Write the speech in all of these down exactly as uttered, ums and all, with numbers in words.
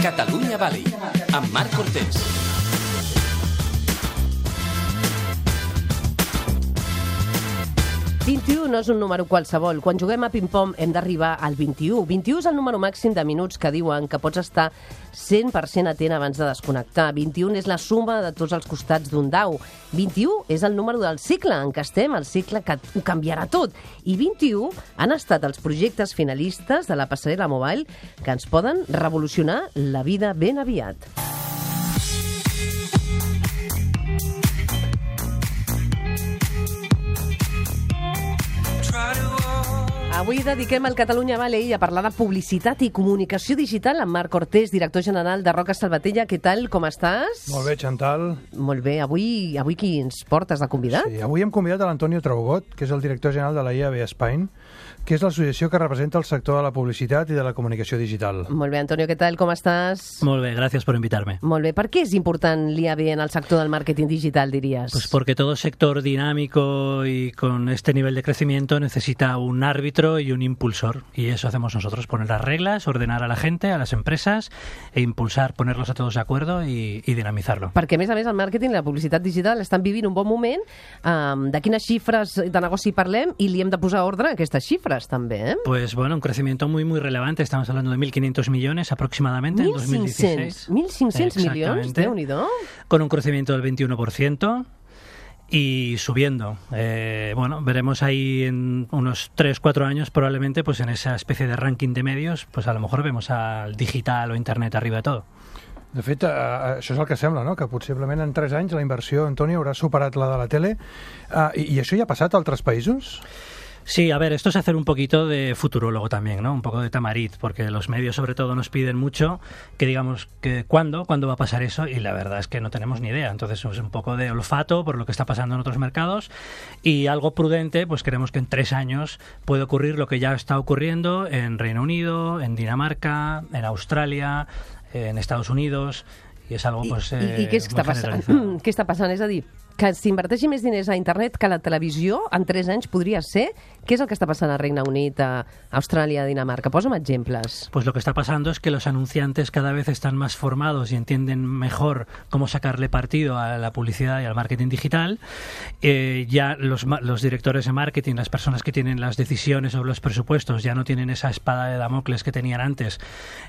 Catalunya Valley, amb Marc Cortés. vint-i-u no és un número qualsevol. Quan juguem a ping-pong hem d'arribar al vint-i-u. vint-i-u és el número màxim de minuts que diuen que pots estar cent per cent atent abans de desconnectar. vint-i-u és la suma de tots els costats d'un dau. vint-i-u és el número del cicle en què estem, el cicle que ho canviarà tot. I vint-i-u han estat els projectes finalistes de la passarel·la Mobile que ens poden revolucionar la vida ben aviat. Avui dediquem el Catalunya Valley a parlar de publicitat i comunicació digital amb Marc Cortés, director general de Roca Salvatella. Què tal, com estàs? Molt bé, Chantal. Molt bé. Avui, avui qui ens portes de convidat? Sí, avui hem convidat a l'Antonio Traugot, que és el director general de la I A B Spain, que és l'associació que representa el sector de la publicitat i de la comunicació digital. Molt bé, Antonio, què tal, com estàs? Molt bé, gracias por invitarme. Molt bé. Per què és important l'I A B en el sector del màrqueting digital, dirías? Pues porque todo sector dinámico y con este nivel de crecimiento necesita un árbitro y un impulsor. Y eso hacemos nosotros, poner las reglas, ordenar a la gente, a las empresas e impulsar, ponerlos a todos de acuerdo y, y dinamizarlo. Perquè, a més a més, el màrqueting i la publicitat digital estan vivint un bon moment. Um, de quines xifres de negoci parlem i li hem de posar ordre a aquestes xifres, també, eh? Pues bueno, un crecimiento muy, muy relevante. Estamos hablando de mil quinientos millones aproximadamente en dos mil dieciséis. mil cinc-cents milions? Déu-n'hi-do. Con un crecimiento del veintiuno por ciento. Y subiendo. Eh, bueno, veremos ahí en unos tres cuatro años probablemente, pues en esa especie de ranking de medios, pues a lo mejor vemos al digital o internet arriba de todo. De fet, eh, això és el que sembla, no? Que possiblement en tres anys la inversió, Antonio, haurà superat la de la tele. Uh, i, I això ja ha passat a altres països? Sí, a ver, esto es hacer un poquito de futurólogo también, ¿no? Un poco de tamarit, porque los medios sobre todo nos piden mucho que digamos que cuándo, cuándo va a pasar eso, y la verdad es que no tenemos ni idea. Entonces es un poco de olfato por lo que está pasando en otros mercados y algo prudente, pues creemos que en tres años puede ocurrir lo que ya está ocurriendo en Reino Unido, en Dinamarca, en Australia, en Estados Unidos, i és algo, pues, I, i, i què, està passant? què està passant? És a dir, que s'inverteixi més diners a internet que a la televisió en tres anys podria ser? Què és el que està passant al Regne Unit, a Austràlia, a Dinamarca? Posa'm ejemplos. Pues lo que está pasando es que los anunciantes cada vez están más formados y entienden mejor cómo sacarle partido a la publicidad y al marketing digital. Eh, ya los, los directores de marketing, las personas que tienen las decisiones sobre los presupuestos, ya no tienen esa espada de Damocles que tenían antes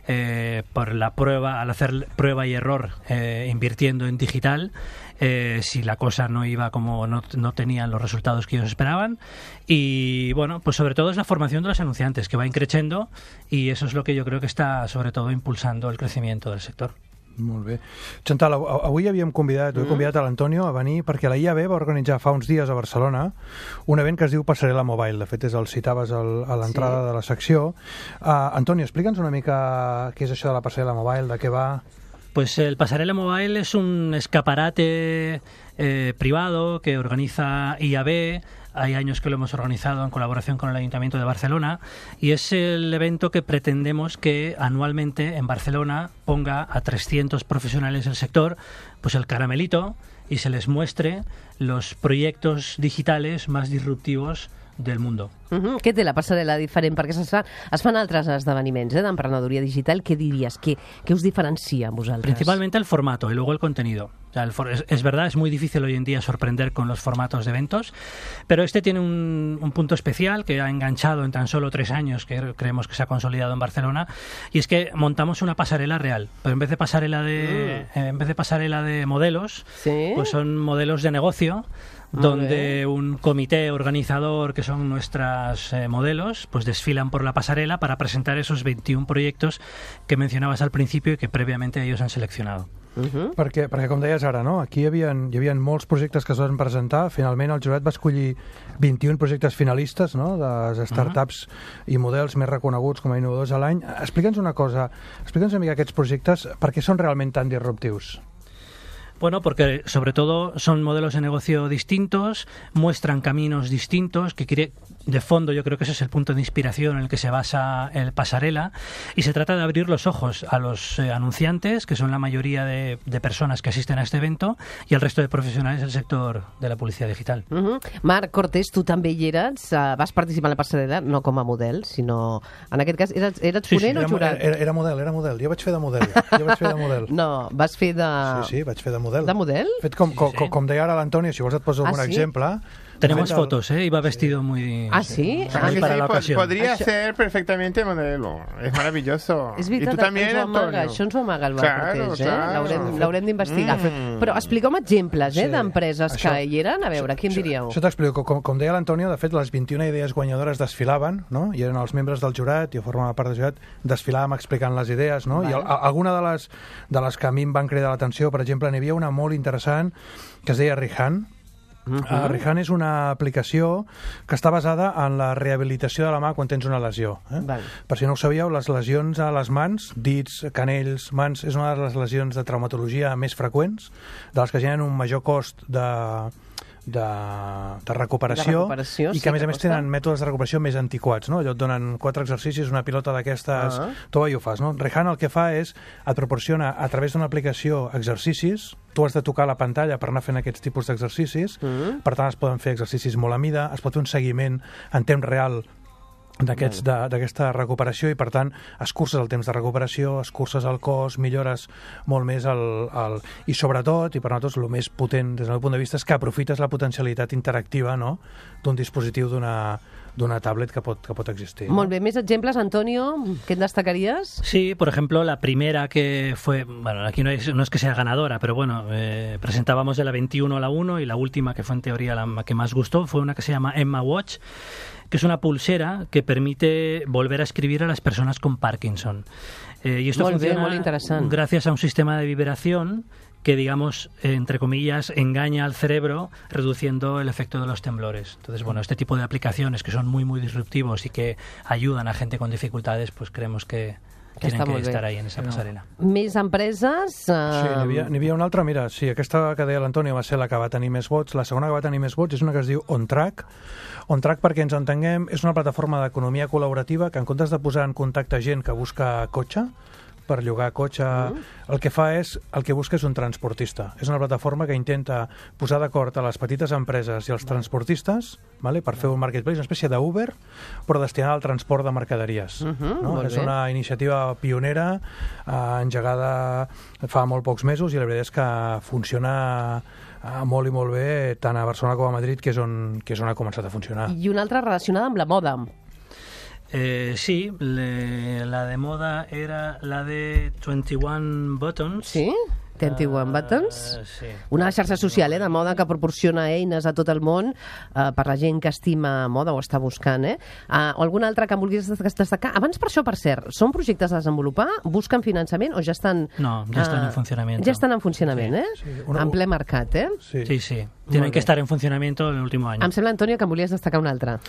eh, por la prueba, al hacer prueba y error eh, invirtiendo en digital. Eh, si la cosa no iba como no, no tenían los resultados que ellos esperaban. Y bueno, pues sobre todo es la formación de los anunciantes, que va increciendo, y eso es lo que yo creo que está sobre todo impulsando el crecimiento del sector. Molt bé. Chantal, avui havíem convidat, mm. he convidat a l'Antonio a venir perquè la I A B va organitzar fa uns dies a Barcelona un event que es diu Passarel·la Mobile. De fet, és el citaves el, a l'entrada sí. de la secció. Uh, Antonio, explica'ns una mica què és això de la Passarel·la Mobile, de què va... Pues el Passarella Mobile es un escaparate eh, privado que organiza I A B. Hay años que lo hemos organizado en colaboración con el Ayuntamiento de Barcelona, y es el evento que pretendemos que anualmente en Barcelona ponga a trescientos profesionales del sector pues el caramelito y se les muestre los proyectos digitales más disruptivos del mundo. Uh-huh. Què té la passarel·la diferent? Perquè es fan, es fan altres esdeveniments eh, d'emprenedoria digital. ¿Qué dirías? ¿Qué, qué os diferencia a vosotros? Principalmente el formato y luego el contenido. O sea, el for es, es verdad, es muy difícil hoy en día sorprender con los formatos de eventos, pero este tiene un, un punto especial que ha enganchado en tan solo tres años, que creemos que se ha consolidado en Barcelona, y es que montamos una pasarela real. Pero en vez de pasarela de, mm. eh, en vez de pasarela de modelos, ¿sí? pues son modelos de negocio, donde un comité organizador, que son nuestras eh, modelos, pues desfilan por la pasarela para presentar esos veintiún proyectos que mencionabas al principio y que previamente ellos han seleccionado. Uh-huh. Perquè, perquè, com deies ara, no? Aquí hi havia, hi havia molts projectes que es van presentar. Finalment el jurat va escollir vint-i-un projectes finalistes, no? De startups uh-huh. i models més reconeguts com a innovadors a l'any. Explica'ns una cosa, explica'ns una mica aquests projectes, per què són realment tan disruptius? Bueno, porque sobre todo son modelos de negocio distintos, muestran caminos distintos, que quiere, de fondo yo creo que ese es el punto de inspiración en el que se basa el Pasarela, y se trata de abrir los ojos a los eh, anunciantes, que son la mayoría de, de personas que asisten a este evento, y al resto de profesionales del sector de la publicidad digital. Uh-huh. Marc Cortés, tu també hi eres, uh, vas participar en la Pasarela, no com a model, sinó, en aquest cas, eres, eres Sí, sí, ponent o Era, jurat? era, era model, era model. Jo vaig fer de model. Jo vaig fer de model. No, vas fer de... Sí, sí, vaig fer de model. De model? Fet com, com, sí. com deia ara l'Antonio, si vols et poso Ah, algun sí? exemple. Tenemos Fet el- fotos, ¿eh? Iba vestido muy... Ah, ¿sí? muy Ah, Sí, para sí, la po- ocasión. podría Això- ser perfectamente modelo. Es maravilloso. És y veritat, tú también, ens ho amaga, Antonio. això ens ho amaga el Marc Claro, Cortés, eh? claro. L'haurem l'haurem d'investigar. Mm. Però explica'm exemples, eh, Sí, d'empreses això- que hi eren. A veure, qui em diríeu? Això t'explico. Com, com deia l'Antonio, de fet, les vint-i-una idees guanyadores desfilaven, no? I eren els membres del jurat, jo formava part del jurat, desfilàvem explicant les idees, no? Vale. I al, a, alguna de les, de les que a mi em van cridar l'atenció, per exemple, n'hi havia una molt interessant que es deia Rihan. Mhm. Uh, Rihan és una aplicació que està basada en la rehabilitació de la mà quan tens una lesió. Eh? Val. Per si no ho sabíeu, les lesions a les mans, dits, canells, mans, és una de les lesions de traumatologia més freqüents, de les que generen un major cost de, de, de recuperació, De recuperació, i sí que a més que a més costa. tenen mètodes de recuperació més antiquats, no? Allò et donen quatre exercicis, una pilota d'aquestes, Ah. tu vas i ho fas, no? Rihan el que fa és, et proporciona a través d'una aplicació exercicis, tu has de tocar la pantalla per anar fent aquests tipus d'exercicis, Mm. per tant es poden fer exercicis molt a mida, es pot fer un seguiment en temps real d'aquests de- d'aquesta recuperació, i per tant escurces el temps de recuperació, escurces el cos, millores molt més el, el... i sobretot, i per nosaltres el més potent des del meu punt de vista, és que aprofites la potencialitat interactiva, no?, d'un dispositiu d'una d'una tablet que pot, que pot existir. Molt bé, més exemples, Antonio, què en destacaries? Sí, por ejemplo, la primera que fue, bueno, aquí no es, no es que sea ganadora, pero bueno, eh, presentábamos de la veintiuno a la uno, y la última, que fue en teoría la que más gustó, fue una que se llama Emma Watch, que es una pulsera que permite volver a escribir a las personas con Parkinson. Eh, y esto Molt bé, funciona molt interessant. gracias a un sistema de vibración que, digamos, eh, entre comillas, engaña al cerebro, reduciendo el efecto de los temblores. Entonces, bueno, este tipo de aplicaciones que son muy, muy disruptivos y que ayudan a gente con dificultades, pues creemos que Que tienen està que molt bé. estar ahí en esa pasarela. Més empreses? Sí, Uh... n'hi havia, n'hi havia una altra, mira, sí, aquesta que deia l'Antonio va ser la que va tenir més vots. La segona que va tenir més vots és una que es diu OnTrack. OnTrack, perquè ens entenguem, és una plataforma d'economia col·laborativa que, en comptes de posar en contacte gent que busca cotxe, per llogar cotxe, mm. el que fa és, el que busca és un transportista. És una plataforma que intenta posar d'acord a les petites empreses i els transportistes, vale, per fer un marketplace, una espècie d'Uber, però destinada al transport de mercaderies. Uh -huh, No? molt És bé. una iniciativa pionera, eh, engegada fa molt pocs mesos, i la veritat és que funciona eh, molt i molt bé, tant a Barcelona com a Madrid, que és on, que és on ha començat a funcionar. I una altra relacionada amb la moda. Eh, sí, le- la de moda era la de veintiuno Buttons. Sí? veintiuno Ah, Buttons? sí. Una xarxa social, eh, de moda que proporciona eines a tot el món eh, per la gent que estima moda o està buscant, eh? Uh, o alguna altra que em vulguis destacar? Abans, per això, per cert, són projectes a desenvolupar? Busquen finançament o ja estan... No, ja estan en funcionamiento. Ja estan en funcionament, eh? Sí, una- En ple mercat, eh? Sí. Sí, sí. Tienen Muy que bien. estar en funcionamiento el último año. Em sembla, Antonio, que em volies destacar una altra.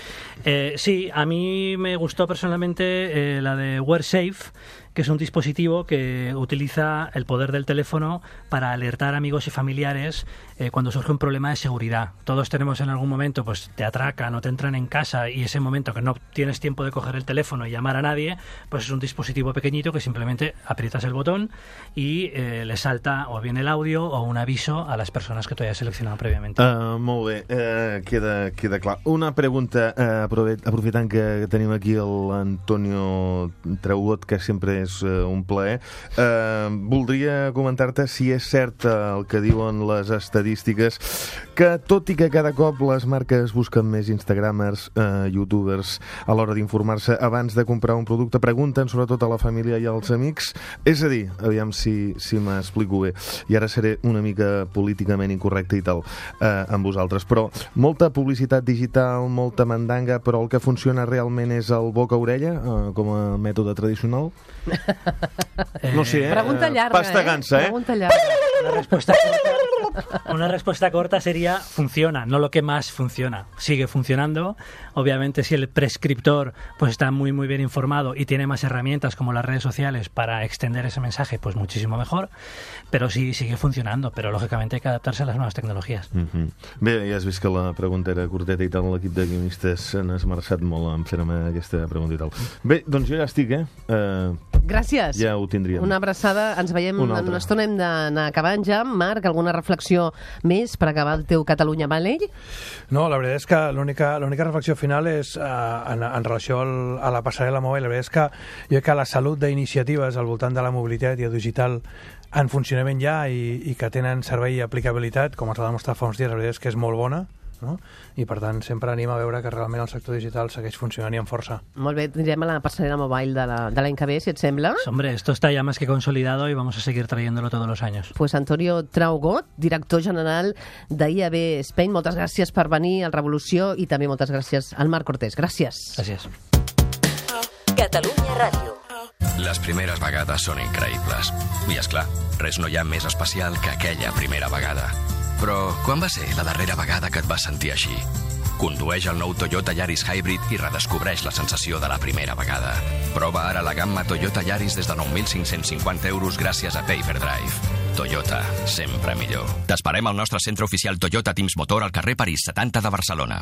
Eh, sí, a mí me gustó personalmente eh, la de WearSafe, que es un dispositivo que utiliza el poder del teléfono para alertar a amigos y familiares eh, cuando surge un problema de seguridad. Todos tenemos en algún momento, pues te atracan o te entran en casa, y ese momento que no tienes tiempo de coger el teléfono y llamar a nadie, pues es un dispositivo pequeñito que simplemente aprietas el botón y eh, le salta o bien el audio o un aviso a las personas que tú hayas seleccionado previamente. Uh, molt bé, uh, queda, queda clar. Una pregunta, uh, aprofit, aprofitant que tenim aquí l'Antonio Traugot, que sempre és uh, un plaer. Uh, voldria comentar-te si és cert uh, el que diuen les estadístiques, que tot i que cada cop les marques busquen més instagramers, uh, youtubers, a l'hora d'informar-se abans de comprar un producte, pregunten sobretot a la família i als amics. És a dir, aviam si, si m'explico bé, i ara seré una mica políticament incorrecte i tal, eh, amb vosaltres, però molta publicitat digital, molta mandanga, però el que funciona realment és el boca-orella, eh, com a mètode tradicional? No sé, eh? Pregunta llarga, Pasta eh? gansa, eh? Pregunta llarga. La respuesta corta, Una respuesta corta sería funciona, no lo que más funciona. Sigue funcionando. Obviamente, si el prescriptor pues está muy muy bien informado y tiene más herramientas como las redes sociales para extender ese mensaje, pues muchísimo mejor. Però sí, sigue funcionando, però lògicament hay que adaptarse a les noves tecnologies. Mm-hmm. Bé, ja has vist que la pregunta era curteta i tal, l'equip de guionistes s'han esmerçat molt en fer-me aquesta pregunta i tal. Bé, doncs jo ja estic, eh? Uh, Gràcies. Ja ho tindríem. Una abraçada. Ens veiem una en una estona. Hem d'anar acabant ja. Marc, alguna reflexió més per acabar el teu Catalunya Valley? No, la veritat és que l'única l'única reflexió final és eh, en, en relació al, a la passarel·la mòbil. La veritat és que jo crec que la salut d'iniciatives al voltant de la mobilitat i el digital en funcionament ja i, i que tenen servei i aplicabilitat, com es va demostrar fa uns dies, la veritat és que és molt bona, no? I per tant sempre anima a veure que realment el sector digital segueix funcionant i amb força. Molt bé, tindrem a la passarel·la mobile de la- de l'any que ve, si et sembla. Hombre, esto está ya más que consolidado y vamos a seguir trayéndolo todos los años. Pues Antonio Traugot, director general d'I A B Spain, moltes gràcies per venir al Revolució i també moltes gràcies al Marc Cortés. Gràcies. Gràcies. Catalunya Ràdio. Les primeres vegades són increïbles. I, és clar, res no hi ha més especial que aquella primera vegada. Però quan va ser la darrera vegada que et vas sentir així? Condueix el nou Toyota Yaris Hybrid i redescobreix la sensació de la primera vegada. Prova ara la gamma Toyota Yaris des de nou mil cinc-cents cinquanta euros gràcies a Payferdrive. Toyota, sempre millor. T'esperem al nostre centre oficial Toyota Teams Motor al carrer París setanta de Barcelona.